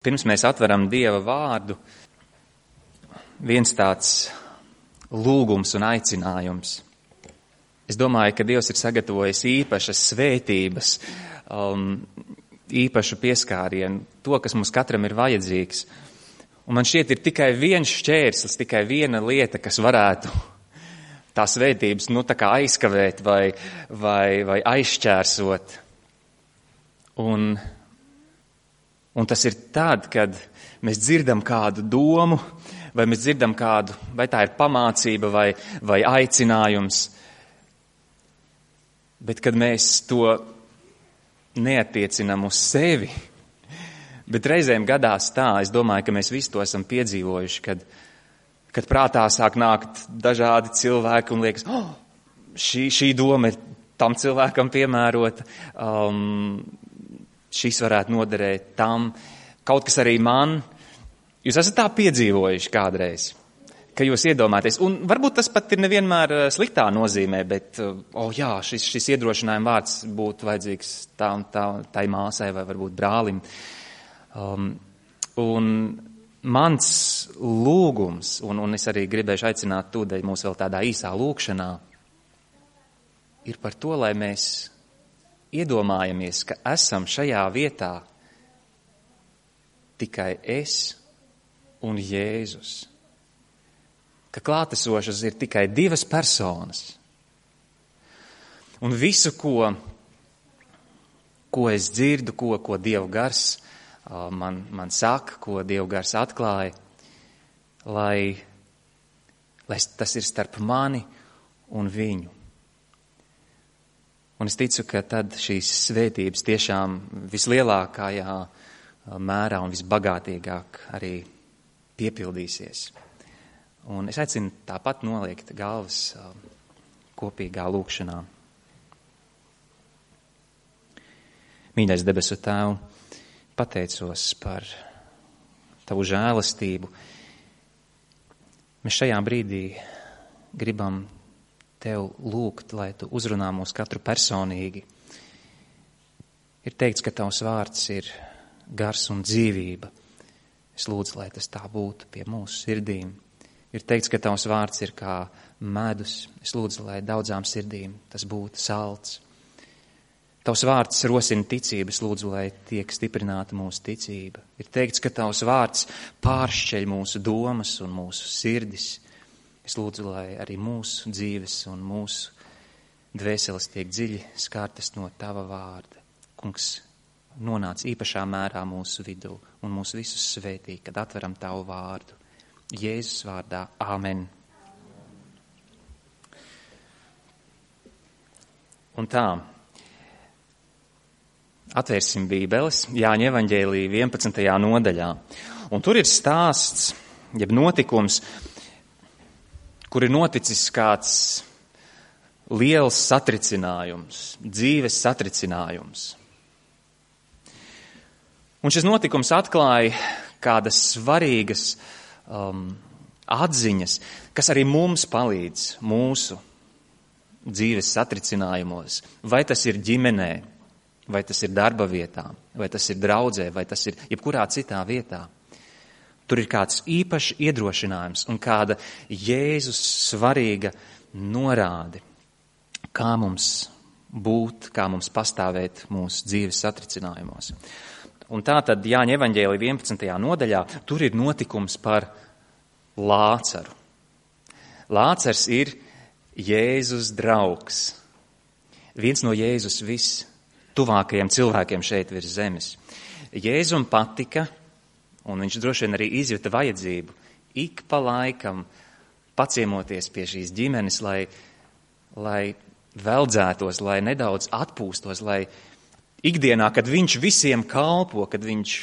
Pirms mēs atveram Dieva vārdu, viens tāds lūgums un aicinājums. Es domāju, ka Dievs ir sagatavojis īpašas svētības, īpašu pieskārienu, to, kas mums katram ir vajadzīgs. Un man šķiet, ir tikai viens šķērslis, tikai viena lieta, kas varētu tās svētības tā kā aizkavēt vai aizšķērsot. Un tas ir tad, kad mēs dzirdam kādu domu, vai mēs dzirdam kādu, vai tā ir pamācība vai aicinājums, bet kad mēs to neatiecinam uz sevi, bet reizēm gadās tā, es domāju, ka mēs visi to esam piedzīvojuši, kad prātā sāk nākt dažādi cilvēki un liekas, šī doma ir tam cilvēkam piemērota, šis varētu noderēt tam, kaut kas arī man. Jūs esat tā piedzīvojuši kādreiz, ka jūs iedomājaties, un varbūt tas pat ir nevienmēr sliktā nozīmē, bet, šis iedrošinājuma vārds būtu vajadzīgs tai māsai vai varbūt brālim. Un mans lūgums, un es arī gribēšu aicināt tūdēļ mūs vēl tādā īsā lūkšanā, ir par to, lai mēs iedomājamies, ka esam šajā vietā tikai es un Jēzus. Ka klātesošas ir tikai divas personas. Un visu, ko es dzirdu, ko Dieva gars man saka, ko Dieva gars atklāja, lai tas ir starp mani un viņu. Un es ticu, ka tad šīs svētības tiešām vislielākajā mērā un visbagātīgāk arī piepildīsies. Un es aicinu tāpat noliekt galvas kopīgā lūkšanā. Mīļais debesu Tēv, pateicos par Tavu žēlastību. Mēs šajā brīdī gribam Tev lūgt, lai Tu uzrunā mūs katru personīgi. Ir teikts, ka Tavs vārds ir gars un dzīvība. Es lūdzu, lai tas tā būtu pie mūsu sirdīm. Ir teikts, ka Tavs vārds ir kā medus. Es lūdzu, lai daudzām sirdīm tas būtu salds. Tavs vārds rosina ticību. Es lūdzu, lai tiek stiprināta mūsu ticība. Ir teikts, ka Tavs vārds pāršķeļ mūsu domas un mūsu sirdis. Es lūdzu, lai arī mūsu dzīves un mūsu dvēseles tiek dziļi skārtas no Tava vārda. Kungs, nonāc īpašā mērā mūsu vidū un mūs visus svētī, kad atveram Tavu vārdu. Jēzus vārdā. Āmen. Un tā, atvērsim Bībeles Jāņa evaņģēlija 11. nodaļā. Un tur ir stāsts, jeb notikums, kur ir noticis kāds liels satricinājums, dzīves satricinājums. Un šis notikums atklāja kādas svarīgas atziņas, kas arī mums palīdz mūsu dzīves satricinājumos. Vai tas ir ģimenē, vai tas ir darba vietā, vai tas ir draudzē, vai tas ir jebkurā citā vietā. Tur ir kāds īpašs iedrošinājums un kāda Jēzus svarīga norāde, kā mums būt, kā mums pastāvēt mūsu dzīves satricinājumos. Un tā tad Jāņa evaņģēlija 11. nodaļā tur ir notikums par Lācaru. Lācars ir Jēzus draugs. Viens no Jēzus vistuvākajiem cilvēkiem šeit virs zemes. Jēzum patika, un viņš droši vien arī izjuta vajadzību ik pa laikam paciemoties pie šīs ģimenes, lai veldzētos, lai nedaudz atpūstos, lai ikdienā, kad viņš visiem kalpo, kad viņš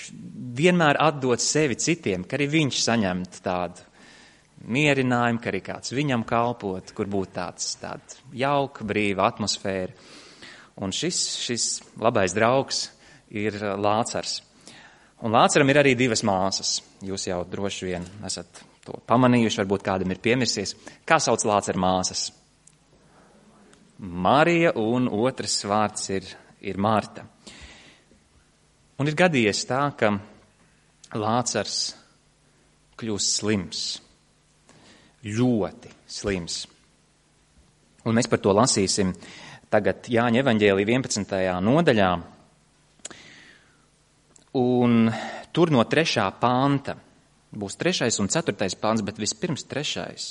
vienmēr atdod sevi citiem, ka arī viņš saņemtu tādu mierinājumu, ka arī kāds viņam kalpot, kur būtu tāda jauka, brīva atmosfēra. Un šis labais draugs ir Lācars. Un Lācaram ir arī divas māsas. Jūs jau droši vien esat to pamanījuši, varbūt kādam ir piemirsies. Kā sauc Lācara māsas? Marija, un otrs vārds ir Marta. Un ir gadījies tā, ka Lācars kļūst slims, ļoti slims. Un mēs par to lasīsim tagad Jāņa evaņģēlija 11. nodaļā. Un tur no 3. panta būs 3. un 4. pants, bet vispirms 3.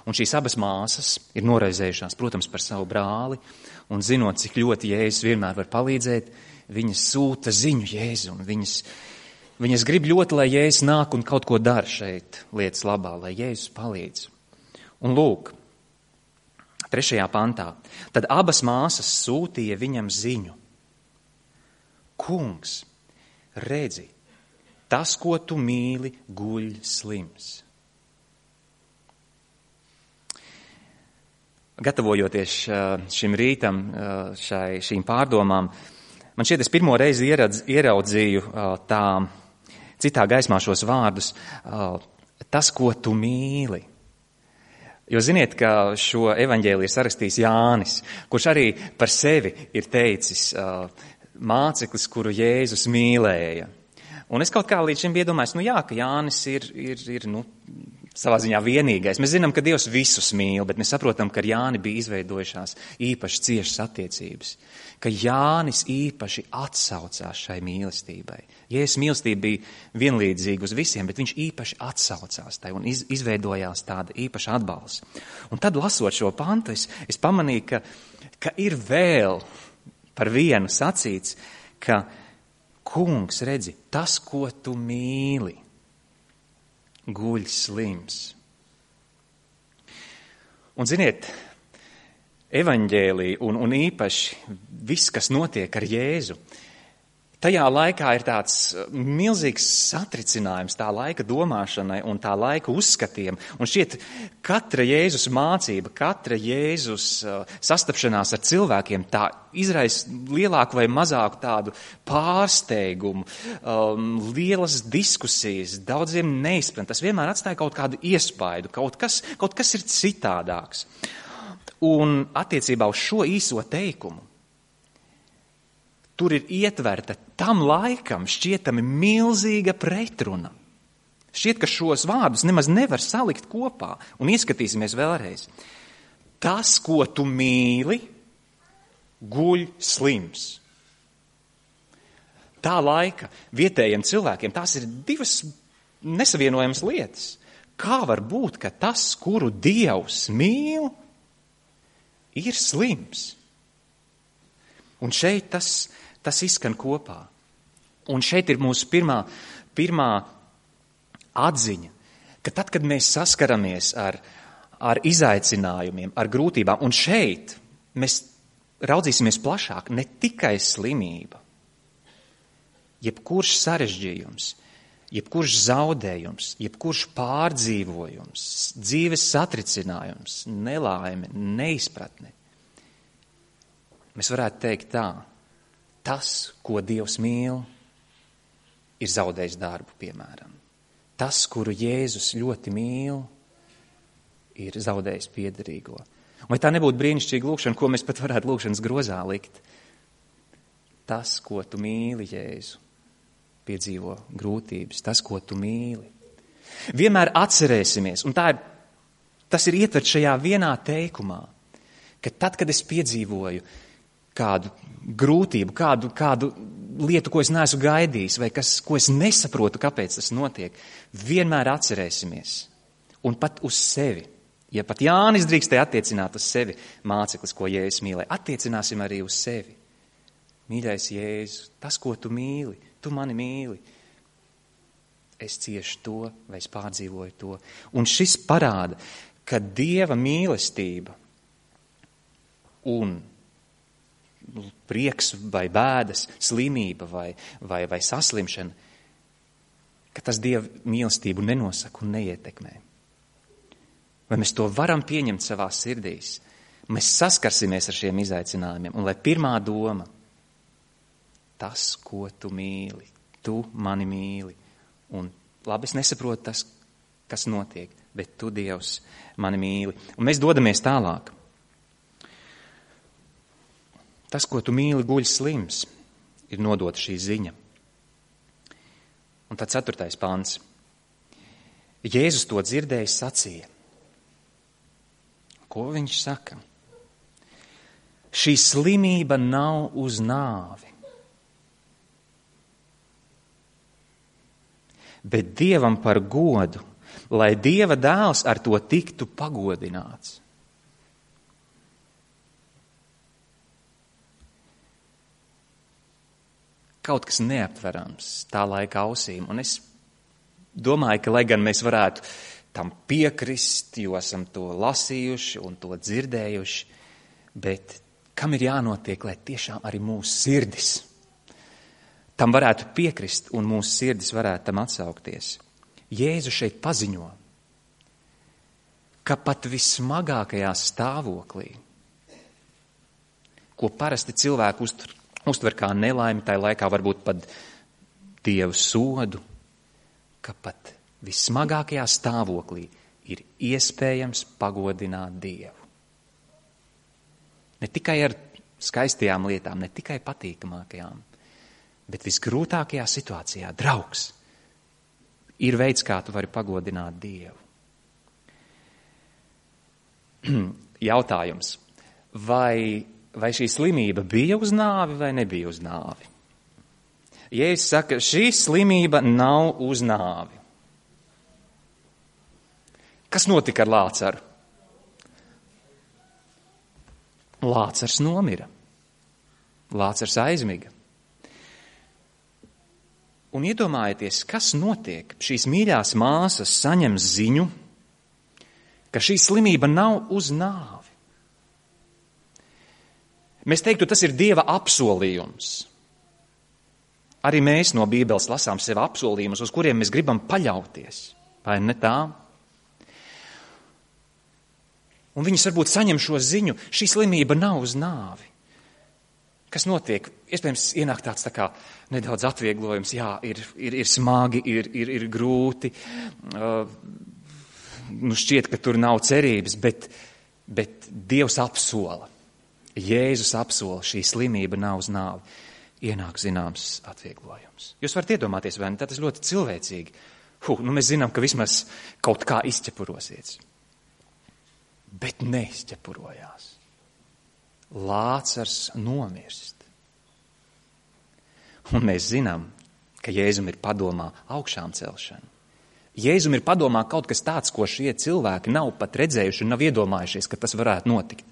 Un šīs abas māsas ir noraizējušās, protams, par savu brāli, un zinot, cik ļoti Jēzus vienmēr var palīdzēt, viņas sūta ziņu Jēzu, un viņas grib ļoti, lai Jēzus nāk un kaut ko dara šeit lietas labā, lai Jēzus palīdz. Un lūk, 3. pantā, tad abas māsas sūtīja viņam ziņu. Kungs, redzi, tas, ko tu mīli, guļ slims. Gatavojoties šim rītam, šīm pārdomām, man šķiet, es pirmo reizi ieraudzīju tā citā gaismā šos vārdus, tas, ko tu mīli. Jo ziniet, ka šo evaņģēliju ir sarakstījis Jānis, kurš arī par sevi ir teicis māceklis, kuru Jēzus mīlēja. Un es kaut kā līdz šim iedomājos, ka Jānis ir savā ziņā vienīgais. Mēs zinām, ka Dievs visus mīl, bet mēs saprotam, ka ar Jāni bija izveidojušās īpaši ciešas attiecības. Ka Jānis īpaši atsaucās šai mīlestībai. Jēzus mīlestība bija vienlīdzīga uz visiem, bet viņš īpaši atsaucās tai un izveidojās tāda īpaša atbalsta. Un tad, lasot šo pantu, es pamanīju, ka ir vēl par vienu sacīts, ka kungs, redzi, tas, ko tu mīli, guļ slims. Un ziniet, evaņģēlija un īpaši viss, kas notiek ar Jēzu, tajā laikā ir tāds milzīgs satricinājums tā laika domāšanai un tā laika uzskatiem. Un šķiet, katra Jēzus mācība, katra Jēzus sastapšanās ar cilvēkiem tā izraisa lielāku vai mazāku tādu pārsteigumu, lielas diskusijas, daudziem neizpratni. Tas vienmēr atstāja kaut kādu iespaidu, kaut kas ir citādāks. Un attiecībā uz šo īso teikumu, tur ir ietverta tam laikam šķietami milzīga pretruna. Šķiet, ka šos vārdus nemaz nevar salikt kopā. Un ieskatīsimies vēlreiz. Tas, ko tu mīli, guļ slims. Tā laika vietējiem cilvēkiem tās ir divas nesavienojamas lietas. Kā var būt, ka tas, kuru Dievs mīl, ir slims? Un šeit tas izskan kopā. Un šeit ir mūsu pirmā atziņa, ka tad, kad mēs saskaramies ar izaicinājumiem, ar grūtībām, un šeit mēs raudzīsimies plašāk, ne tikai slimība, jebkurš sarežģījums, jebkurš zaudējums, jebkurš pārdzīvojums, dzīves satricinājums, nelaime, neizpratne. Mēs varētu teikt tā, tas, ko Dievs mīl, ir zaudējis darbu, piemēram. Tas, kuru Jēzus ļoti mīl, ir zaudējis piederīgo. Vai tā nebūtu brīnišķīga lūkšana, ko mēs pat varētu lūkšanas grozā likt? Tas, ko tu mīli, Jēzu, piedzīvo grūtības, tas, ko tu mīli. Vienmēr atcerēsimies, un tas ir ietverts šajā vienā teikumā, ka tad, kad es piedzīvoju kādu grūtību, kādu lietu, ko es neesmu gaidījis, vai ko es nesaprotu, kāpēc tas notiek, vienmēr atcerēsimies. Un pat uz sevi. Ja pat Jānis drīkstēja attiecināt uz sevi māceklis, ko Jēzus mīlēja, attiecināsim arī uz sevi. Mīļais Jēzu, tas, ko tu mīli, tu mani mīli. Es ciešu to, vai es pārdzīvoju to. Un šis parāda, ka Dieva mīlestība un prieks vai bēdas, slimība vai saslimšana, ka tas Dieva mīlestību nenosaka un neietekmē. Vai mēs to varam pieņemt savā sirdīs? Mēs saskarsimies ar šiem izaicinājumiem. Un lai pirmā doma, tas, ko tu mīli, tu mani mīli. Un labi, es nesaprotu tas, kas notiek, bet tu, Dievs, mani mīli. Un mēs dodamies tālāk. Tas, ko tu mīli, guļ slims, ir nodota šī ziņa. Un tad 4. pants. Jēzus to dzirdējis sacīja. Ko viņš saka? Šī slimība nav uz nāvi, bet Dievam par godu, lai Dieva dēls ar to tiktu pagodināts. Kaut kas neaptverams tā laika ausīm, un es domāju, ka, lai gan mēs varētu tam piekrist, jo esam to lasījuši un to dzirdējuši, bet kam ir jānotiek, lai tiešām arī mūsu sirdis tam varētu piekrist un mūsu sirdis varētu tam atsaukties. Jēzus šeit paziņo, ka pat vismagākajā stāvoklī, ko parasti cilvēku uztver kā nelaimi, tai laikā varbūt pat Dievu sodu, ka pat vismagākajā stāvoklī ir iespējams pagodināt Dievu. Ne tikai ar skaistajām lietām, ne tikai patīkamākajām, bet visgrūtākajā situācijā, draugs, ir veids, kā tu vari pagodināt Dievu. Jautājums, vai šī slimība bija uz nāvi vai nebija uz nāvi? Jēzus saka, šī slimība nav uz nāvi. Kas notika ar Lācaru? Lācars nomira. Lācars aizmiga. Un iedomājieties, kas notiek. Šīs mīļās māsas saņem ziņu, ka šī slimība nav uz nāvi. Mēs teiktu, tas ir Dieva apsolījums. Arī mēs no Bībeles lasām sev apsolījumus, uz kuriem mēs gribam paļauties. Vai ne tā? Un viņas varbūt saņem šo ziņu, šī slimība nav uz nāvi. Kas notiek? Iespējams, ienāk tāds tā kā nedaudz atvieglojums. Jā, ir smagi, ir grūti. Šķiet, ka tur nav cerības, bet Dievs apsola. Jēzus apsola, šī slimība nav uz nāvi. Ienāk zināms atvieglojums. Jūs varat iedomāties, vai ne? Tas ļoti cilvēcīgi. Mēs zinām, ka vismaz kaut kā izķepurosies. Bet neizķepurojās. Lācars nomirst. Un mēs zinām, ka Jēzum ir padomā augšām celšana. Jēzum ir padomā kaut kas tāds, ko šie cilvēki nav pat redzējuši un nav iedomājušies, ka tas varētu notikt.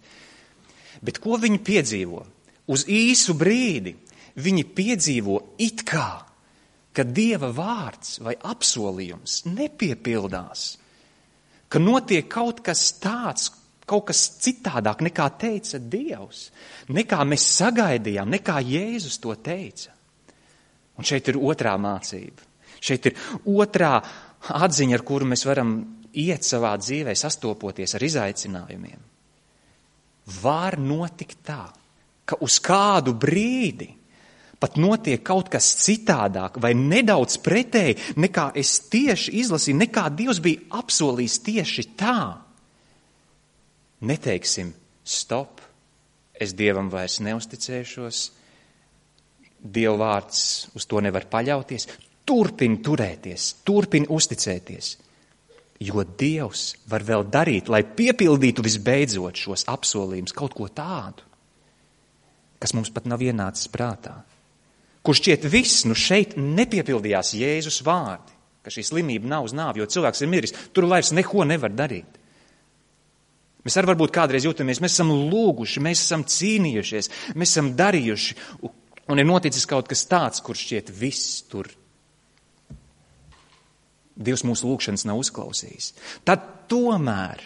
Bet ko viņi piedzīvo? Uz īsu brīdi viņi piedzīvo it kā, ka Dieva vārds vai apsolījums nepiepildās, ka notiek kaut kas tāds, kaut kas citādāk nekā teica Dievs, nekā mēs sagaidījām, nekā Jēzus to teica. Un šeit ir otrā mācība. Šeit ir otrā atziņa, ar kuru mēs varam iet savā dzīvē, sastopoties ar izaicinājumiem. Var notikt tā, ka uz kādu brīdi pat notiek kaut kas citādāk vai nedaudz pretēji, nekā es tieši izlasīju, nekā Dievs bija apsolījis tieši tā. Neteiksim, stop, es Dievam vairs neusticēšos, Dieva vārds uz to nevar paļauties, turpin turēties, turpin uzticēties, jo Dievs var vēl darīt, lai piepildītu visbeidzot šos apsolījumus, kaut ko tādu, kas mums pat nav ienācis prātā. Kur šķiet viss, šeit nepiepildījās Jēzus vārdi, ka šī slimība nav uz nāvi, jo cilvēks ir miris, tur vairs neko nevar darīt. Mēs arī varbūt kādreiz jūtamies, mēs esam lūguši, mēs esam cīnījušies, mēs esam darījuši, un ir noticis kaut kas tāds, kur šķiet viss tur. Dievs mūsu lūgšanas nav uzklausījis. Tad tomēr,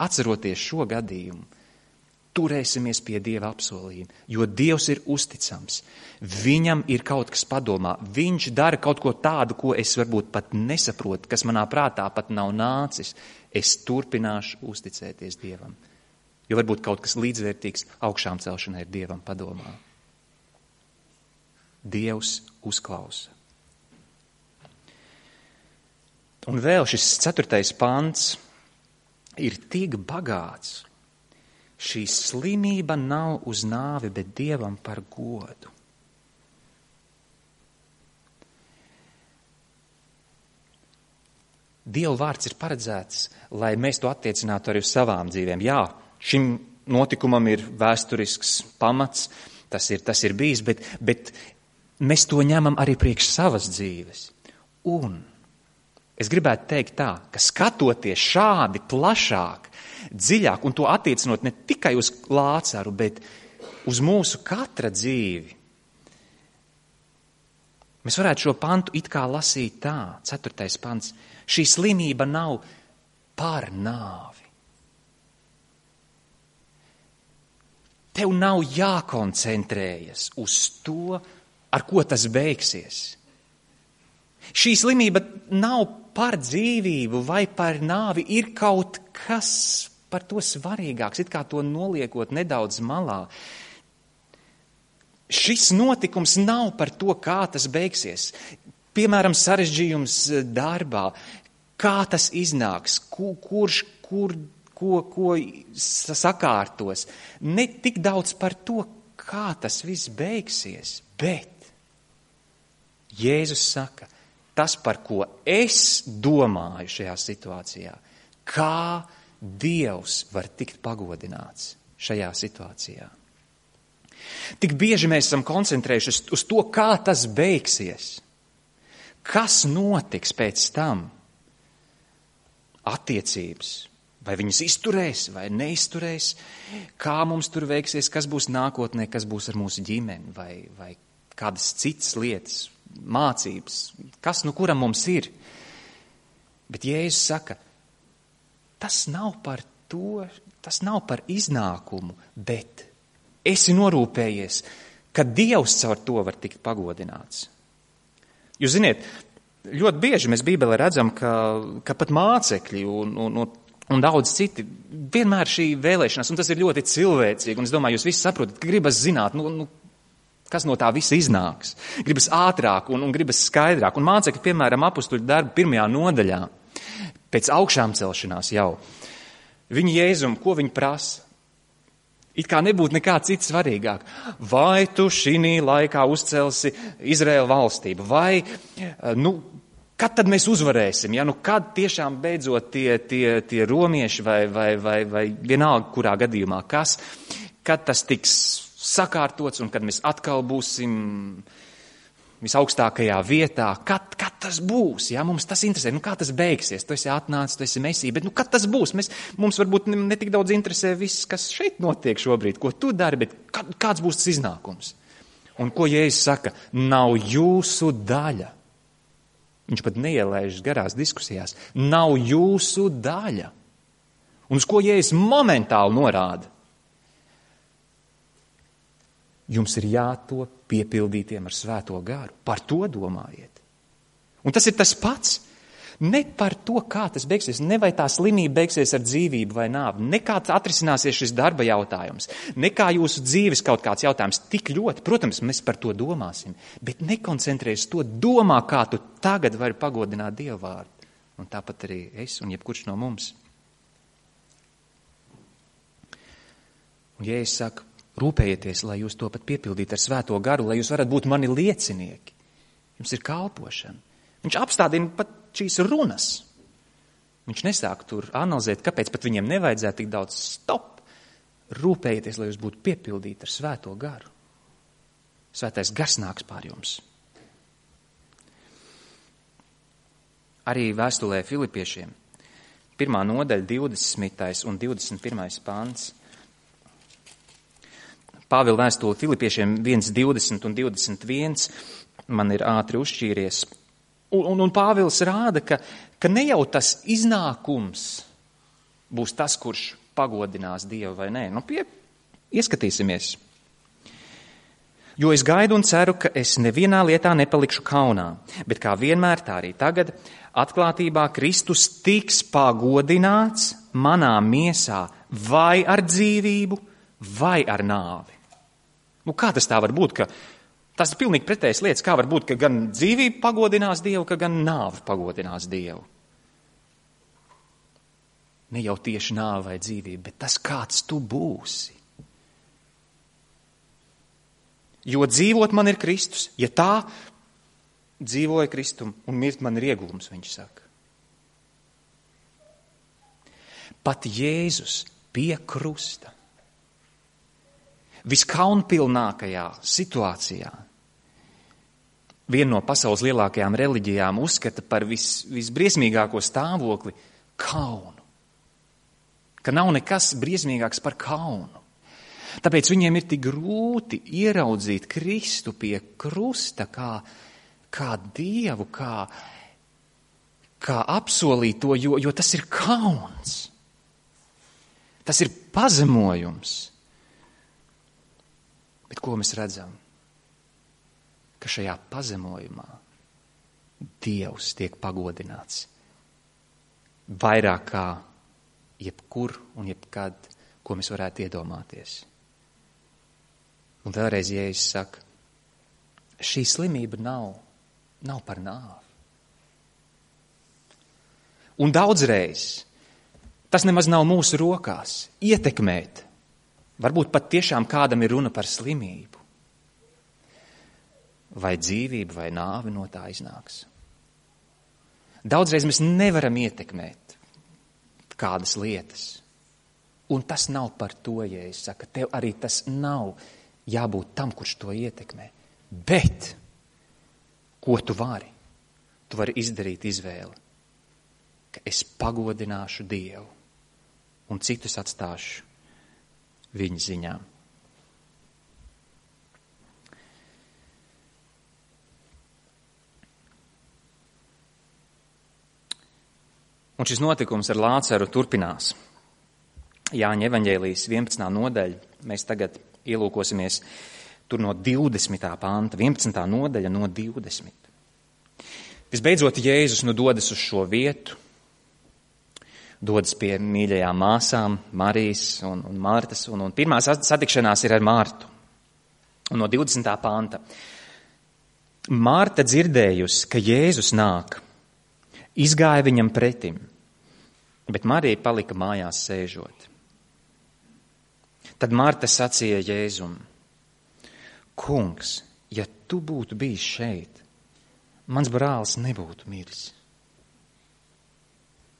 atceroties šo gadījumu, turēsimies pie Dieva apsolījuma, jo Dievs ir uzticams. Viņam ir kaut kas padomā. Viņš dara kaut ko tādu, ko es varbūt pat nesaprotu, kas manā prātā pat nav nācis. Es turpināšu uzticēties Dievam. Jo varbūt kaut kas līdzvērtīgs augšām celšanai ir Dievam padomā. Dievs uzklausa. Un vēl šis 4. pants ir tik bagāts. Šī slimība nav uz nāvi, bet Dievam par godu. Dieva vārds ir paredzēts, lai mēs to attiecinātu arī uz savām dzīvēm. Jā, šim notikumam ir vēsturisks pamats, tas ir bijis, bet mēs to ņemam arī priekš savas dzīves. Un es gribētu teikt tā, ka skatoties šādi plašāk, dziļāk un to attiecinot ne tikai uz Lācaru, bet uz mūsu katra dzīvi, mēs varētu šo pantu it kā lasīt tā, 4. pants. Šī slimība nav par nāvi. Tev nav jākoncentrējas uz to, ar ko tas beigsies. Šī slimība nav par dzīvību vai par nāvi, ir kaut kas par to svarīgāks, it kā to noliekot nedaudz malā. Šis notikums nav par to, kā tas beigsies. Piemēram, sarežģījums darbā, kā tas iznāks, kurš ko sakārtos. Ne tik daudz par to, kā tas viss beigsies, bet Jēzus saka, tas, par ko es domāju šajā situācijā, kā Dievs var tikt pagodināts šajā situācijā. Tik bieži mēs esam koncentrējušies uz to, kā tas beigsies. Kas notiks pēc tam? Attiecības. Vai viņas izturēs vai neizturēs? Kā mums tur veiksies? Kas būs nākotnē? Kas būs ar mūsu ģimeni? Vai kādas citas lietas? Mācības? Kas nu kuram mums ir? Bet Jēzus saka, tas nav par to, tas nav par iznākumu, bet esi norūpējies, ka Dievs caur to var tikt pagodināts. Jūs ziniet, ļoti bieži mēs Bībelē redzam, ka pat mācekļi un daudz citi vienmēr šī vēlēšanās, un tas ir ļoti cilvēcīgi, un es domāju, jūs visi saprotat, ka gribas zināt, kas no tā visa iznāks. Gribas ātrāk un gribas skaidrāk. Un mācekļi, piemēram, apustuļu darbu 1. nodaļā, pēc augšām celšanās jau, viņi Jēzum, ko viņi prasa? It kā nebūtu nekā cits svarīgāk. Vai tu šī laikā uzcelsi Izraēla valstību? Vai, kad tad mēs uzvarēsim? Ja? Kad tiešām beidzot tie romieši vai vienalga kurā gadījumā kas? Kad tas tiks sakārtots un kad mēs atkal būsim visaugstākajā vietā? Kad tas būs? Ja? Mums tas interesē. Kā tas beigsies? Tu esi atnācis, tu esi Mesija, bet kad tas būs? Mums varbūt ne tik daudz interesē viss, kas šeit notiek šobrīd, ko tu dari, bet kāds būs tas iznākums? Un ko Jēzus saka? Nav jūsu daļa. Viņš pat neielaižas garās diskusijās. Nav jūsu daļa. Un uz ko Jēzus momentāli norāda? Jums ir jātop piepildītiem ar Svēto garu. Par to domājiet. Un tas ir tas pats. Ne par to, kā tas beigsies, ne vai tā slimība beigsies ar dzīvību vai nāvi, ne kā atrisināsies šis darba jautājums, ne kā jūsu dzīves kaut kāds jautājums tik ļoti. Protams, mēs par to domāsim, bet nekoncentrējies to, domā, kā tu tagad vari pagodināt Dievu vārdu. Un tāpat arī es un jebkurš no mums. Un Jēzus saka, rūpējieties, lai jūs to pat piepildītu ar Svēto garu, lai jūs varat būt mani liecinieki. Jums ir kalpošana. Viņš apstādina pat šīs runas. Viņš nesāk tur analizēt, kāpēc pat viņiem nevajadzētu tik daudz stop. Rūpējieties, lai jūs būtu piepildīti ar Svēto garu. Svētais gars nāks pār jums. Arī vēstulē Filipiešiem, 1. nodaļa, 20. un 21. pants. Pāvila vēstule Filipiešiem 1, 20 un 21 man ir ātri uzšķīries. Un Pāvils rāda, ka ne jau tas iznākums būs tas, kurš pagodinās Dievu vai nē. Ieskatīsimies. Jo es gaidu un ceru, ka es nevienā lietā nepalikšu kaunā, bet kā vienmēr tā arī tagad atklātībā Kristus tiks pagodināts manā miesā vai ar dzīvību, vai ar nāvi. Kā tas tā var būt, ka tas ir pilnīgi pretējas lietas, kā var būt, ka gan dzīvība pagodinās Dievu, ka gan nāve pagodinās Dievu. Ne jau tieši nāve vai dzīvība, bet tas, kāds tu būsi. Jo dzīvot man ir Kristus, ja tā dzīvoja Kristum un mirt man ir ieguvums, viņš saka. pat Jēzus pie krusta, viskaunpilnākajā situācijā, viena no pasaules lielākajām reliģijām uzskata par visbriesmīgāko stāvokli kaunu. Ka nav nekas briesmīgāks par kaunu. Tāpēc viņiem ir tik grūti ieraudzīt Kristu pie krusta kā Dievu, kā apsolīto, jo tas ir kauns. Tas ir pazemojums. Bet ko mēs redzam? Ka šajā pazemojumā Dievs tiek pagodināts vairāk kā jebkur un jebkad, ko mēs varētu iedomāties. Un vēlreiz Jēzus saka, šī slimība nav par nāvi. Un daudzreiz tas nemaz nav mūsu rokās ietekmēt. Varbūt pat tiešām kādam ir runa par slimību. Vai dzīvība, vai nāve no tā iznāks. Daudzreiz mēs nevaram ietekmēt kādas lietas. Un tas nav par to, ja es saku, tev arī tas nav jābūt tam, kurš to ietekmē. Bet, ko tu vari? Tu vari izdarīt izvēli, ka es pagodināšu Dievu un citus atstāšu viņa ziņā. Un šis notikums ar Lācaru turpinās. Jāņa evaņģēlijas 11. nodaļa. Mēs tagad ielūkosimies tur no 20. panta, 11. nodaļa no 20. Visbeidzot, Jēzus dodas uz šo vietu, dodas pie mīļajām māsām, Marijas un Martas, un pirmā satikšanās ir ar Martu. Un no 20. panta. Marta dzirdējusi, ka Jēzus nāk, izgāja viņam pretim, bet Marija palika mājās sēžot. Tad Marta sacīja Jēzum, Kungs, ja tu būtu bijis šeit, mans brālis nebūtu miris.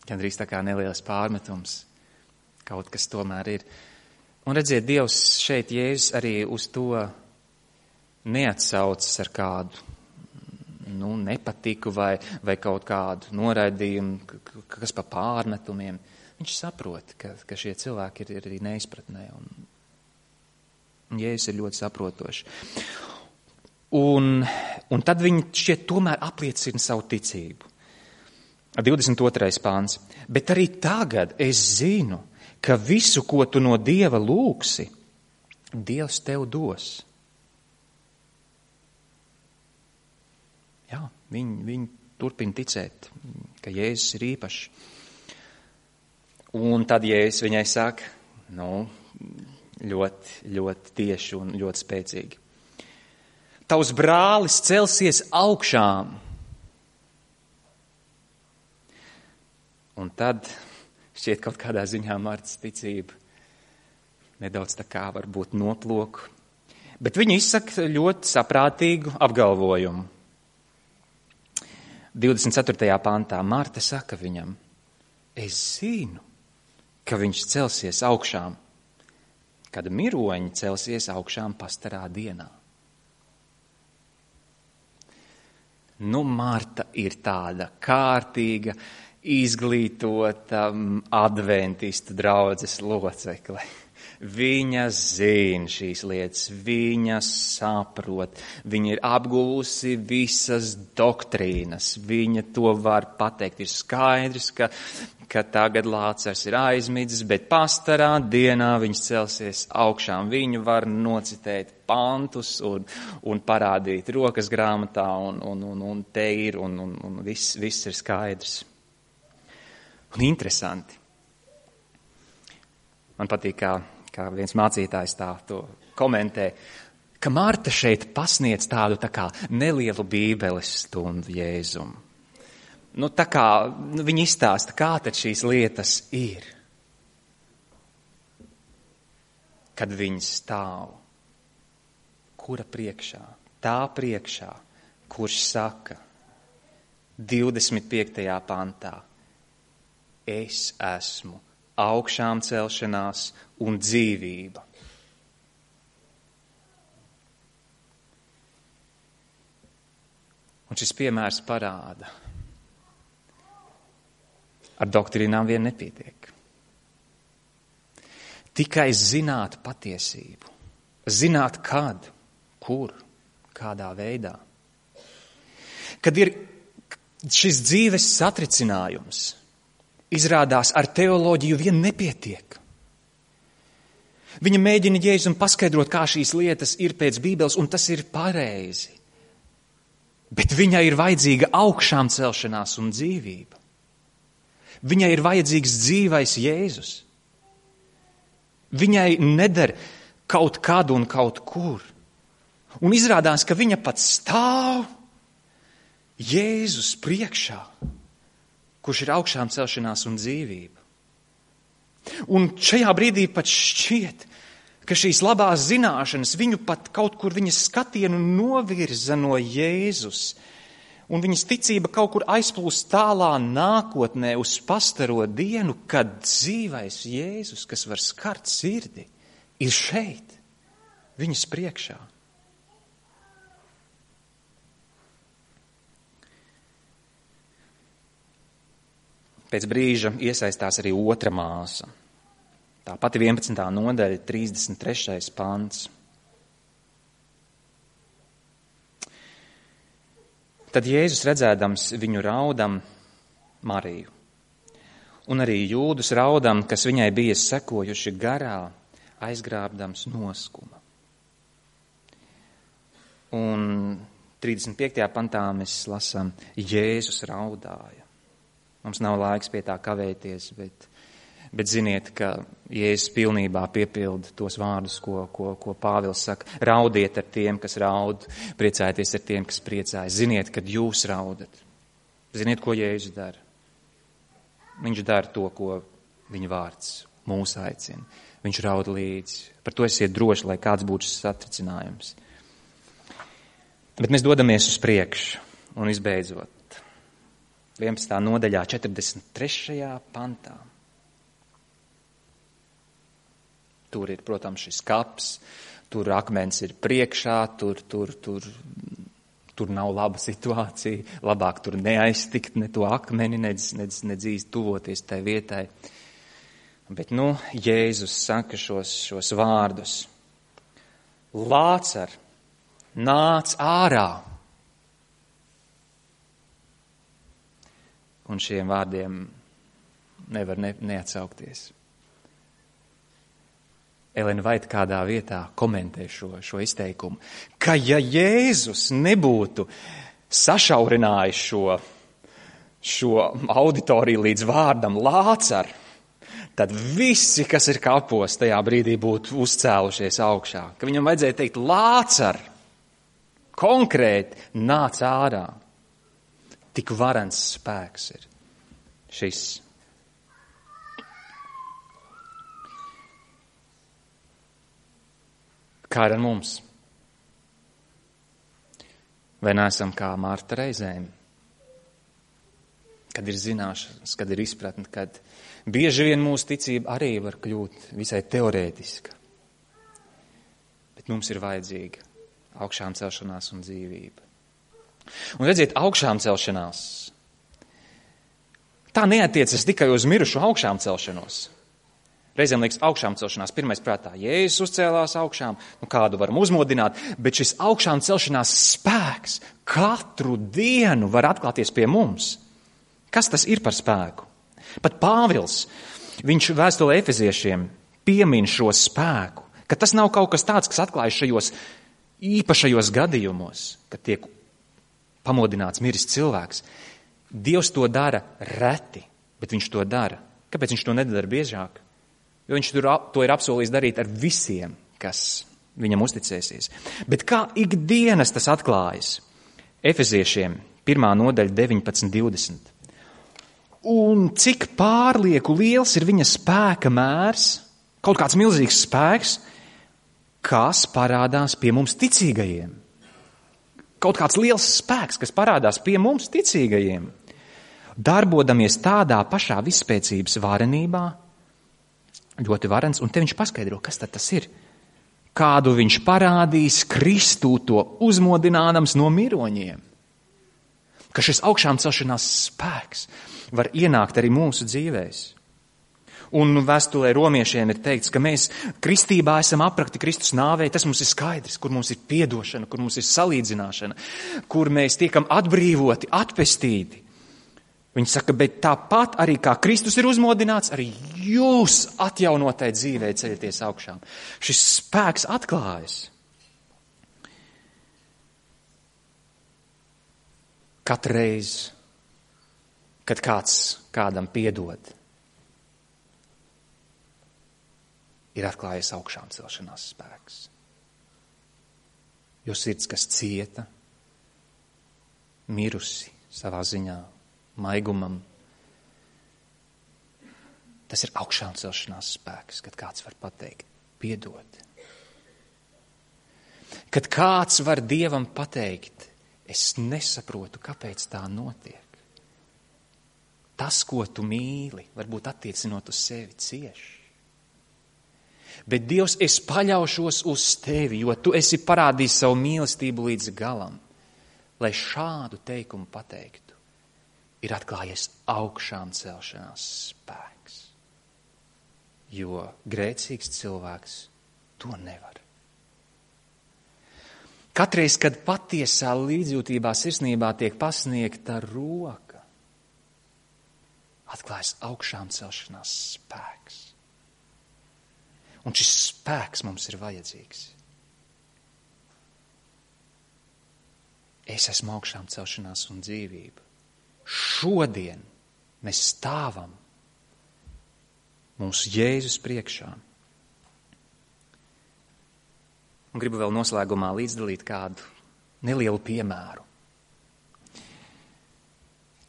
Gandrīz tā kā neliels pārmetums, kaut kas tomēr ir. Un redziet, Dievs šeit Jēzus arī uz to neatsaucas ar kādu nepatiku vai kaut kādu noraidījumu, kas pa pārmetumiem. Viņš saprot, ka šie cilvēki ir arī neizpratnē. Un Jēzus ir ļoti saprotoši. Un tad viņi šķiet tomēr apliecina savu ticību. 22. pāns. Bet arī tagad es zinu, ka visu, ko tu no Dieva lūgsi, Dievs tev dos. Jā, viņi turpina ticēt, ka Jēzus ir īpašs. Un tad Jēzus viņai saka, ļoti, ļoti tieši un ļoti spēcīgi. Tavs brālis celsies augšām. Un tad šķiet kaut kādā ziņā Martas ticība nedaudz tā kā varbūt noplok. Bet viņa izsaka ļoti saprātīgu apgalvojumu. 24. pantā Marta saka viņam, es zinu, ka viņš celsies augšām, kad miroņi celsies augšām pastarā dienā. Marta ir tāda kārtīga, izglītota adventistu draudzes locekle. Viņa zina šīs lietas, viņa saprot, viņa ir apguvusi visas doktrīnas, viņa to var pateikt. Ir skaidrs, ka tagad Lācars ir aizmidzis, bet pastarā dienā viņš celsies augšām. Viņu var nocitēt pantus un parādīt rokas grāmatā un te ir un viss ir skaidrs. Un interesanti. Man patīk, kā viens mācītājs tā to komentē, ka Marta šeit pasniedz tādu tā kā nelielu bībeles stundu Jēzum. Tā kā viņi izstāsta, kā tad šīs lietas ir. Kad viņi stāv. Kura priekšā? Tā priekšā, kurš saka 25. pantā, es esmu augšām celšanās un dzīvība. Un šis piemērs parāda, ar doktrīnām vien nepietiek. Tikai zināt patiesību, zināt kad, kur, kādā veidā. Kad ir šis dzīves satricinājums, izrādās ar teoloģiju vien nepietiek. Viņa mēģina Jēzum paskaidrot, kā šīs lietas ir pēc Bībeles, un tas ir pareizi. Bet viņai ir vajadzīga augšām celšanās un dzīvība. Viņai ir vajadzīgs dzīvais Jēzus. Viņai neder kaut kad un kaut kur. Un izrādās, ka viņa pat stāv Jēzus priekšā, kurš ir augšām celšanās un dzīvība. Un šajā brīdī pat šķiet, ka šīs labās zināšanas viņu pat kaut kur viņas skatienu novirza no Jēzus. Un viņas ticība kaut kur aizplūst tālā nākotnē uz pastaro dienu, kad dzīvais Jēzus, kas var skart sirdi, ir šeit, viņas priekšā. Pēc brīža iesaistās arī otra māsa. Tā pati 11. nodaļa, 33. pants. Tad Jēzus redzēdams viņu raudam Mariju, un arī jūdus raudam, kas viņai bija sekojuši garā, aizgrābdams noskuma. Un 35. pantā mēs lasām, Jēzus raudāja. Mums nav laiks pie tā kavēties, bet ziniet, ka Jēzus pilnībā piepilda tos vārdus, ko Pāvils saka. Raudiet ar tiem, kas raud, priecājieties ar tiem, kas priecājas. Ziniet, kad jūs raudat. Ziniet, ko Jēzus dara. Viņš dara to, ko viņa vārds mūs aicina. Viņš raud līdzi. Par to esiet droši, lai kāds būtu šis satricinājums. Bet mēs dodamies uz priekšu un izbeidzot. 11. nodaļā, 43. pantā. Tur ir, protams, šis kaps, tur akmens ir priekšā, tur nav laba situācija, labāk tur neaiztikt ne to akmeni, nedz tuvoties tai vietai. Bet, Jēzus saka šos vārdus. Lācar, nāc ārā! Un šiem vārdiem nevar neatsaukties. Elena Vaita kādā vietā komentē šo izteikumu, ka ja Jēzus nebūtu sašaurinājis šo auditoriju līdz vārdam Lācar, tad visi, kas ir kapos, tajā brīdī būtu uzcēlušies augšā. Ka viņam vajadzēja teikt Lācar, konkrēti nāc ārā. Tik varens spēks ir šis. Kā ar mums? Vai neesam kā Marta reizēm? Kad ir zināšanas, kad ir izpratne, kad bieži vien mūsu ticība arī var kļūt visai teorētiska. Bet mums ir vajadzīga augšām celšanās un dzīvība. Un redziet, augšām celšanās. Tā neatiecas tikai uz mirušu augšām celšanos. Reizēm liekas, augšām celšanās pirmais prātā. Jēzus uzcēlās augšām, kādu varam uzmodināt, bet šis augšām celšanās spēks katru dienu var atklāties pie mums. Kas tas ir par spēku? Pat Pāvils, viņš vēstulē Efeziešiem piemin šo spēku, ka tas nav kaut kas tāds, kas atklājas šajos īpašajos gadījumos, kad tiek pamodināts miris cilvēks. Dievs to dara reti, bet viņš to dara. Kāpēc viņš to nedara biežāk? Jo viņš to ir apsolījis darīt ar visiem, kas viņam uzticēsies. Bet kā ikdienas tas atklājas? Efeziešiem 1. nodaļa 19:20. Un cik pārlieku liels ir viņa spēka mērs, kaut kāds milzīgs spēks, kas parādās pie mums ticīgajiem. Kaut kāds liels spēks, kas parādās pie mums ticīgajiem, darbodamies tādā pašā visspēcības varenībā, ļoti varens, un te viņš paskaidro, kas tad tas ir. Kādu viņš parādīs Kristū to uzmodinādams no miroņiem. Ka šis augšām celšanās spēks var ienākt arī mūsu dzīvēs. Un vēstulē romiešiem ir teikts, ka mēs kristībā esam aprakti Kristus nāvē, tas mums ir skaidrs, kur mums ir piedošana, kur mums ir salīdzināšana, kur mēs tiekam atbrīvoti, atpestīti. Viņi saka, bet tāpat arī kā Kristus ir uzmodināts, arī jūs atjaunotai dzīvē ceļaties augšām. Šis spēks atklājas. Katreiz, kad kāds kādam piedod, ir atklājies augšām celšanās spēks. Jo sirds, kas cieta, mirusi savā ziņā, maigumam, tas ir augšām celšanās spēks, kad kāds var pateikt, piedod. Kad kāds var Dievam pateikt, es nesaprotu, kāpēc tā notiek. Tas, ko tu mīli, varbūt attiecinot uz sevi cieši. Bet Dievs, es paļaušos uz tevi, jo tu esi parādījis savu mīlestību līdz galam. Lai šādu teikumu pateiktu, ir atklājies augšām celšanās spēks. Jo grēcīgs cilvēks to nevar. Katreiz, kad patiesā līdzjūtībā, sirsnībā tiek pasniegta roka, atklājas augšām celšanās spēks. Un šis spēks mums ir vajadzīgs. Es esmu augšām celšanās un dzīvība. Šodien mēs stāvam mūsu Jēzus priekšā. Un gribu vēl noslēgumā līdzdalīt kādu nelielu piemēru,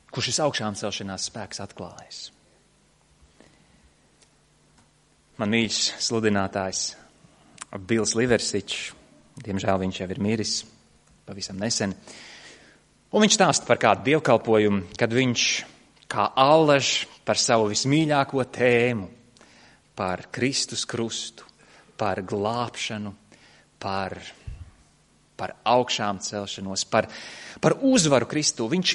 kur šis augšām celšanās spēks atklājas. Man mīļš sludinātājs Bils Liversičs, diemžēl viņš jau ir miris pavisam nesen, un viņš stāsta par kādu dievkalpojumu, kad viņš kā allaž par savu vismīļāko tēmu, par Kristus krustu, par glābšanu, par augšām celšanos, par uzvaru Kristū. Viņš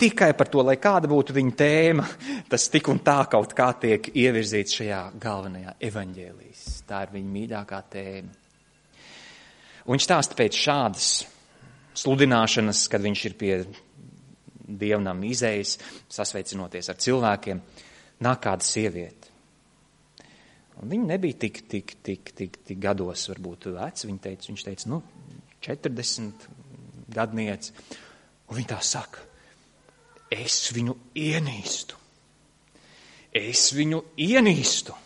tikai par to, lai kāda būtu viņa tēma, tas tik un tā kaut kā tiek ievirzīts šajā galvenajā evaņģēlijas. Tā ir viņa mīļākā tēma. Un viņš stāsta pēc šādas sludināšanas, kad viņš ir pie dievnam izējas, sasveicinoties ar cilvēkiem, nāk kāda sieviete. Un viņa nebija tik gados varbūt vec, viņš teica, 40 gadniece. Un viņa tā saka, es viņu ienīstu. Es viņu ienīstu.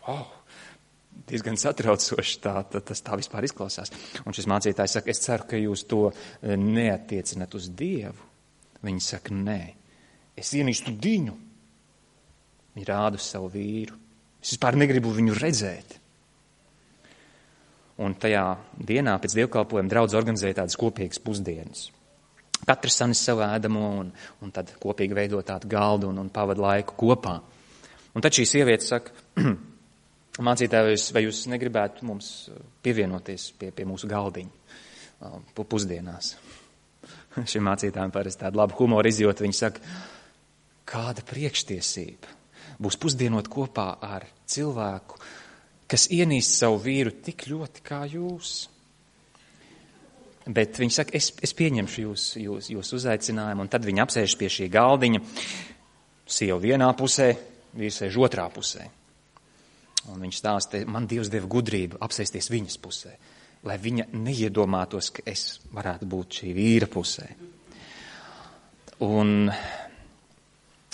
Wow, diezgan satraucoši tas tā vispār izklausās. Un šis mācītājs saka, es ceru, ka jūs to neattiecinat uz Dievu. Viņa saka, nē, es ienīstu viņu. Viņa rāda uz savu vīru. Es vispār negribu viņu redzēt. Un tajā dienā pēc dievkalpojuma draudz organizēja tādas kopīgas pusdienas. Katrs sanis savu ēdamo un tad kopīgi veido tādu galdu un pavada laiku kopā. Un tad šī sieviete saka, mācītāji, vai jūs negribētu mums pievienoties pie mūsu galdiņa pusdienās? Šim mācītājiem parasti tādu labu humoru izjūtu. Viņi saka, kāda priekštiesība būs pusdienot kopā ar cilvēku, kas ienīst savu vīru tik ļoti kā jūs. Bet viņi saka, es pieņemšu jūs uzaicinājumu, un tad viņi apsēžas pie šī galdiņa, sieva vienā pusē, vīrs sēž otrā pusē. Un viņš stāsta, man Dievs deva gudrību apsēsties viņas pusē, lai viņa neiedomātos, ka es varētu būt šī vīra pusē. Un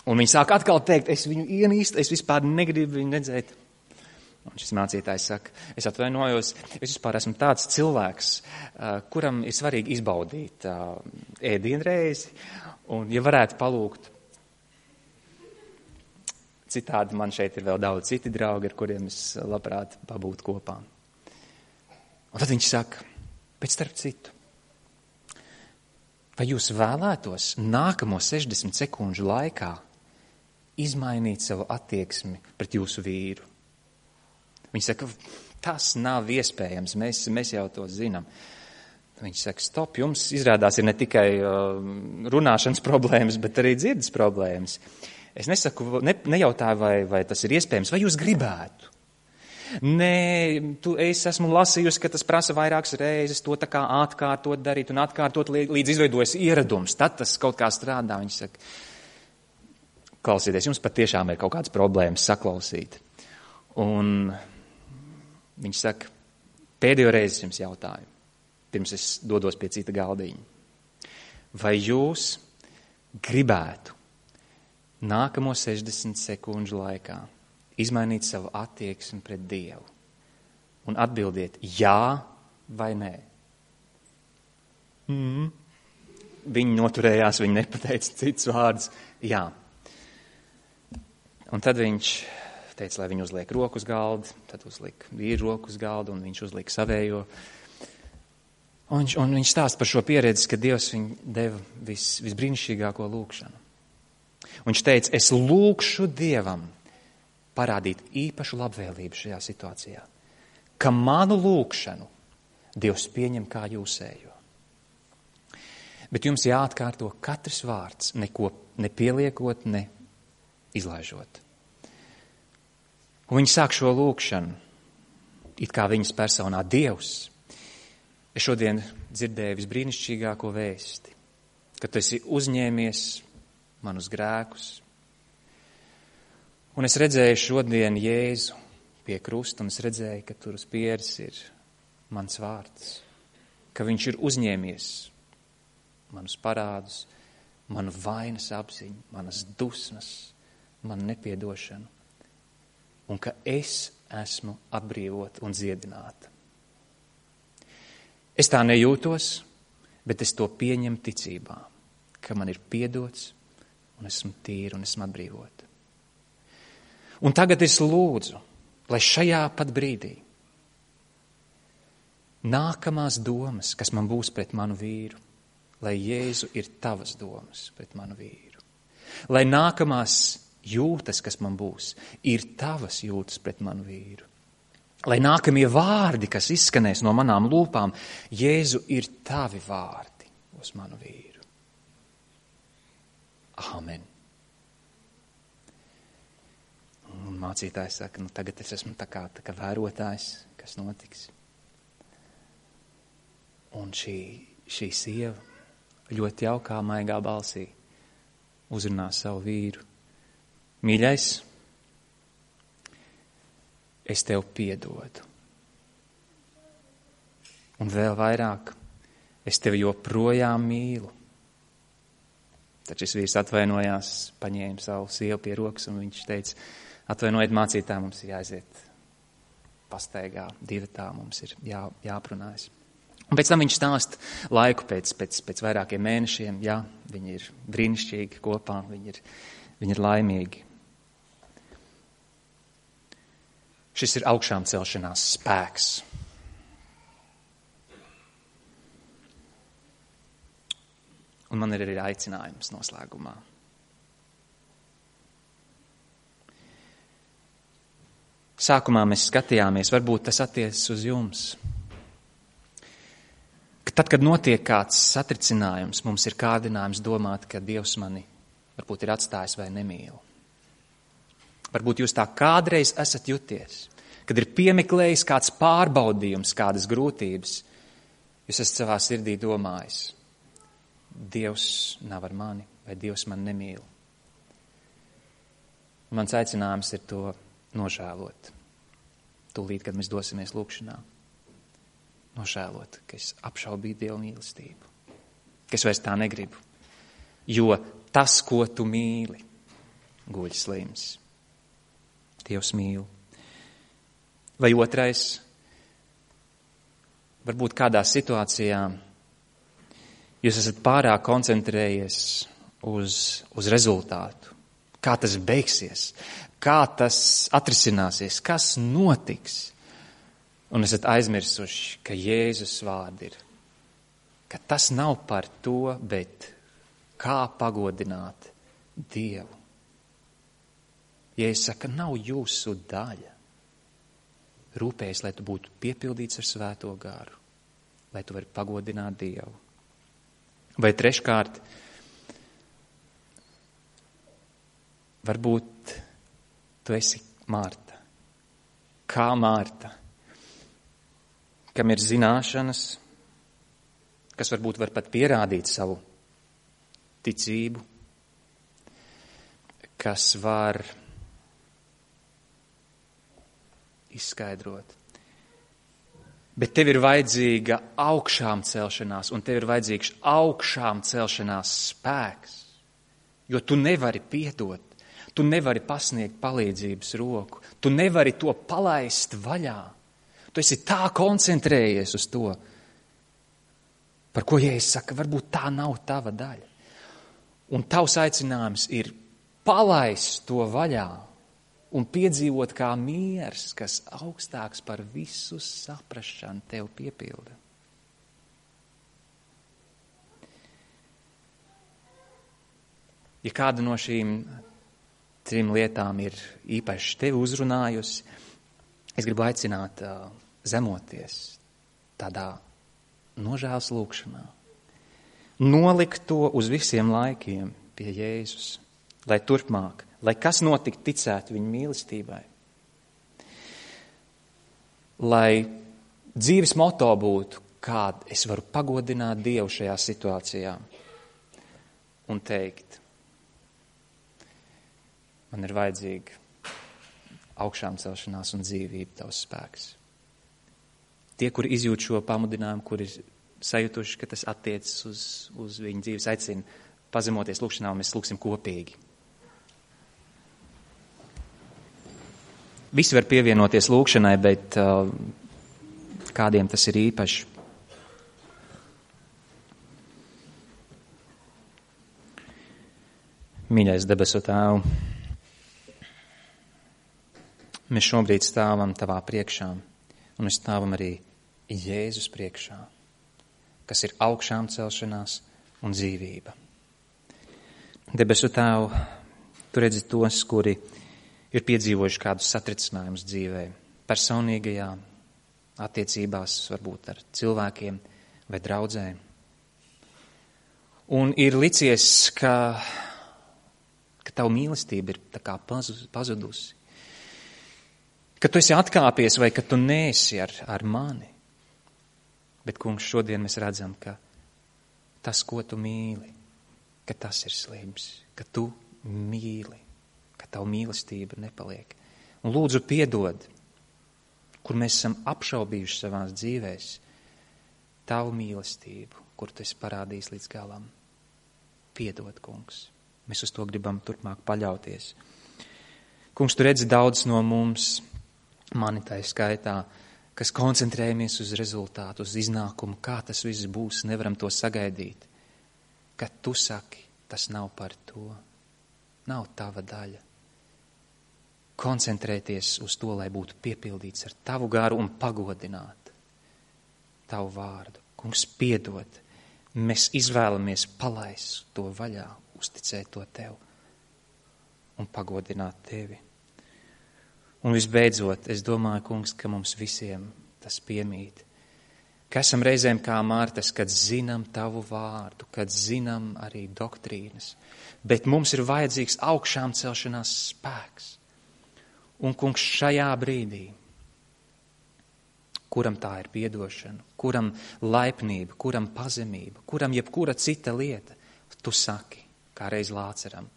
viņi sāk atkal teikt, es viņu ienīstu, es vispār negribu viņu redzēt. Un šis mācītājs saka, es atvainojos, es vispār esmu tāds cilvēks, kuram ir svarīgi izbaudīt ēdienreizi, un ja varētu palūgt, citādi man šeit ir vēl daudz citi draugi, ar kuriem es labprāt pabūtu kopā. Un tad viņš saka, bet starp citu, vai jūs vēlētos nākamo 60 sekundžu laikā izmainīt savu attieksmi pret jūsu vīru? Viņi saka, tas nav iespējams, mēs jau to zinām. Viņš saka, stop, jums izrādās ir ne tikai runāšanas problēmas, bet arī dzirdes problēmas. Es nesaku, nejautāju, vai tas ir iespējams, vai jūs gribētu. Nē, es esmu lasījusi, ka tas prasa vairākas reizes to tā kā atkārtot darīt un atkārtot, līdz izveidojas ieradums. Tad tas kaut kā strādā. Viņš saka, klausieties, jums patiešām ir kaut kādas problēmas saklausīt. Un viņš saka, pēdējo reizi jums jautāju, pirms es dodos pie cita galdiņa. Vai jūs gribētu nākamo 60 sekundžu laikā izmainīt savu attieksmi pret Dievu un atbildiet jā vai nē? Viņi noturējās, viņi nepateica cits vārds. Jā. Un tad viņš teica, lai viņi uzliek roku uz galda, tad uzlika vīru roku uz galda un viņš uzlika savējo. Un viņš stāsta par šo pieredzi, ka Dievs viņu deva visbrīnišķīgāko lūgšanu. Un viņš teica, es lūgšu Dievam parādīt īpašu labvēlību šajā situācijā, ka manu lūgšanu Dievs pieņem kā jūsējo. Bet jums jāatkārto katrs vārds, neko nepieliekot, ne izlaižot. Un viņi sāk šo lūgšanu, it kā viņas personā Dievs. Es šodien dzirdēju visbrīnišķīgāko vēsti, ka tu esi uzņēmies manus grēkus. Un es redzēju šodien Jēzu pie krusta, un es redzēju, ka tur uz pieres ir mans vārds, ka viņš ir uzņēmies manus parādus, manu vainas apziņu, manas dusmas, manu nepiedošanu, un ka es esmu atbrīvota un dziedināta. Es tā nejūtos, bet es to pieņemu ticībā, ka man ir piedots, un esmu tīra un esmu atbrīvota. Un tagad es lūdzu, lai šajā pat brīdī nākamās domas, kas man būs pret manu vīru, lai Jēzu ir tavas domas pret manu vīru. Lai nākamās jūtas, kas man būs, ir tavas jūtas pret manu vīru. Lai nākamie vārdi, kas izskanēs no manām lūpām, Jēzu ir tavi vārdi uz manu vīru. Āmen. Un mācītājs saka, tagad es esmu tā kā vērotājs, kas notiks. Un šī sieva ļoti jaukā, maigā balsī uzrunā savu vīru. Mīļais, es tev piedodu. Un vēl vairāk, es tevi joprojām mīlu. Tad šis vīrs atvainojās, paņēma savu sievu pie rokas un viņš teica, atvainojiet mācītā, mums ir jāaiziet pastaigā, divatā, mums ir jāprunājas. Un pēc tam viņš stāsta laiku pēc vairākiem mēnešiem, jā, viņi ir brīnišķīgi kopā, viņi ir laimīgi. Šis ir augšām celšanās spēks. Un man ir arī aicinājums noslēgumā. Sākumā mēs skatījāmies, varbūt tas attiecas uz jums. Ka tad, kad notiek kāds satricinājums, mums ir kārdinājums domāt, ka Dievs mani varbūt ir atstājis vai nemīl. Varbūt jūs tā kādreiz esat juties, kad ir piemeklējis kāds pārbaudījums, kādas grūtības. Jūs esat savā sirdī domājis, Dievs nav ar mani vai Dievs man nemīl. Mans aicinājums ir to nožēlot. Tūlīt, kad mēs dosimies lūkšanā. Nožēlot, ka es apšaubīju Dieva mīlestību. Ka es vairs tā negribu. Jo tas, ko tu mīli, guļ slims. Dievs mīl. Vai otrais, varbūt kādā situācijā jūs esat pārāk koncentrējies uz rezultātu. Kā tas beigsies, kā tas atrisināsies, kas notiks. Un esat aizmirsuši, ka Jēzus vārdi ir, ka tas nav par to, bet kā pagodināt Dievu. Jēzus saka, nav jūsu daļa. rūpējies, lai tu būtu piepildīts ar Svēto garu, lai tu vari pagodināt Dievu. Vai treškārt, varbūt tu esi Mārta. Kā Mārta, kam ir zināšanas, kas varbūt var pat pierādīt savu ticību, kas var izskaidrot. Bet tev ir vajadzīga augšām celšanās, un tev ir vajadzīgs augšām celšanās spēks, jo tu nevari piedot, tu nevari pasniegt palīdzības roku, tu nevari to palaist vaļā. Tu esi tā koncentrējies uz to, par ko Jēzus saka, varbūt tā nav tava daļa. Un tavs aicinājums ir palaist to vaļā un piedzīvot kā miers, kas augstāks par visu saprašanu tev piepilda. Ja kāda no šīm 3 lietām ir īpaši tevi uzrunājusi, es gribu aicināt zemoties tādā nožēlas lūkšanā. Nolikt to uz visiem laikiem pie Jēzus, lai turpmāk, lai kas notikt, ticētu viņa mīlestībai. Lai dzīves moto būtu, kāda es varu pagodināt Dievu šajā situācijā un teikt, man ir vajadzīga augšām celšanās un dzīvība, tavs spēks. Tie, kuri izjūt šo pamudinājumu, kuri sajutuši, ka tas attiecas uz viņu dzīves, aicina pazemoties lūkšanā, un mēs lūksim kopīgi. Visi var pievienoties lūkšanai, bet kādiem tas ir īpaši. Mīļais debesu Tēvu, mēs šobrīd stāvam Tavā priekšā, un mēs stāvam arī Jēzus priekšā, kas ir augšām celšanās un dzīvība. Debesu Tēvu, Tu redzi tos, kuri ir piedzīvojuši kādus satricinājumus dzīvē, personīgajā, attiecībās, varbūt ar cilvēkiem vai draudzēm. Un ir licies, ka Tava mīlestība ir tā kā pazudusi, ka Tu esi atkāpies vai ka Tu neesi ar mani. Bet, Kungs, šodien mēs redzam, ka tas, ko Tu mīli, ka tas ir slims, ka Tu mīli, ka Tava mīlestība nepaliek. Un lūdzu piedod, kur mēs esam apšaubījuši savās dzīvēs, Tavu mīlestību, kur Tu esi parādījis līdz galam. Piedod, Kungs. Mēs uz to gribam turpmāk paļauties. Kungs, Tu redzi daudz no mums, mani tai skaitā, kas koncentrējamies uz rezultātu, uz iznākumu, kā tas viss būs, nevaram to sagaidīt. Kad Tu saki, tas nav par to, nav tava daļa. Koncentrēties uz to, lai būtu piepildīts ar Tavu garu un pagodināt Tavu vārdu. Kungs, piedod, mēs izvēlamies palaist to vaļā, uzticēt to Tev un pagodināt Tevi. Un visbeidzot, es domāju, Kungs, ka mums visiem tas piemīt, ka esam reizēm kā Mārtas, kad zinām Tavu vārdu, kad zinām arī doktrīnas, bet mums ir vajadzīgs augšām celšanās spēks. Un, Kungs, šajā brīdī, kuram tā ir piedošana, kuram laipnība, kuram pazemība, kuram jebkura cita lieta, Tu saki, kā reiz Lāceram,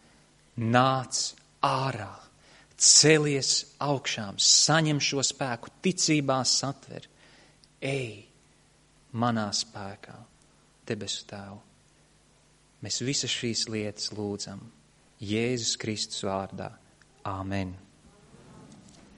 nāc ārā, celies augšām, saņem šo spēku, ticībā satver, ej manā spēkā, debesu Tēvu. Mēs visas šīs lietas lūdzam Jēzus Kristus vārdā. Āmen.